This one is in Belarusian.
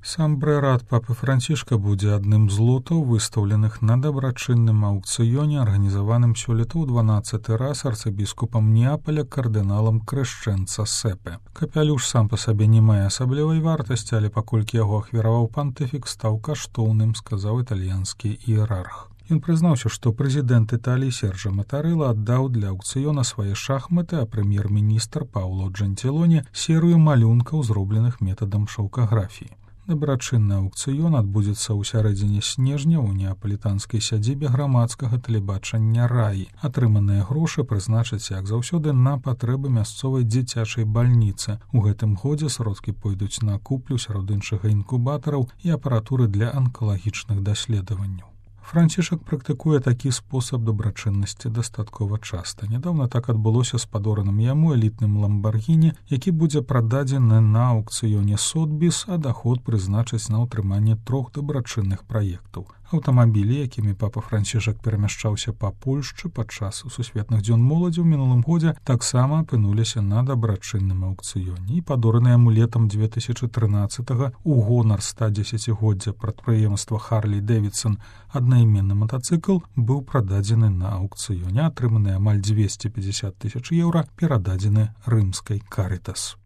Сам брэрат папы Францішка будзе адным з лотаў, выстаўленых на дабрачынным аўкцыёне, арганізаваным сёлета ў 12-ы раз арцыбіскупам Неапаля кардыналам Крэшчэнца Сепе. Капялюш сам па сабе не мае асаблівай вартасці, але паколькі яго ахвяраваў пантыфік, стаў каштоўным, сказаў італьянскі іерарх. Ён прызнаўся, што прэзідэнт Італіі Серджа Матарэла аддаў для аўкцыёна свае шахматы, а прэм'ер-міністр Паўло Джэнцілоні серыю малюнкаў, зробленых метадам шаўкаграфіі. Дабрачынны аўкцыён адбудзецца ў сярэдзіне снежня ў неапалітанскай сядзібе грамадскага тэлебачання «Раі». Атрыманыя грошы прызначаць, як заўсёды, на патрэбы мясцовай дзіцячай бальніцы. У гэтым годзе сродкі пойдуць на куплю сярод іншага інкубатараў і апаратуры для анкалагічных даследаванняў. Францішак практыкуе такі спосаб дабрачыннасці дастаткова часта. Нядаўна так адбылося з падораным яму элітным ламбаргіні, які будзе прададзены на аўкцыёне Сотбіс, а даход прызначыць на ўтрыманне 3 дабрачынных праектаў. Аўтамабілі, якімі папа Францішак перамяшчаўся па Польшчы падчас сусветных дзён моладзі ў мінулым годзе, таксама апынуліся на дабрачынным аўкцыёне. І падораны яму летам 2013-го ў гонар 110-годдзя прадпрыемства Харлі Дэвідсон аднайменны матацыкл быў прададзены на аўкцыёне. Атрыманыя амаль 250 000 еўра перададзены рымскай Карытас.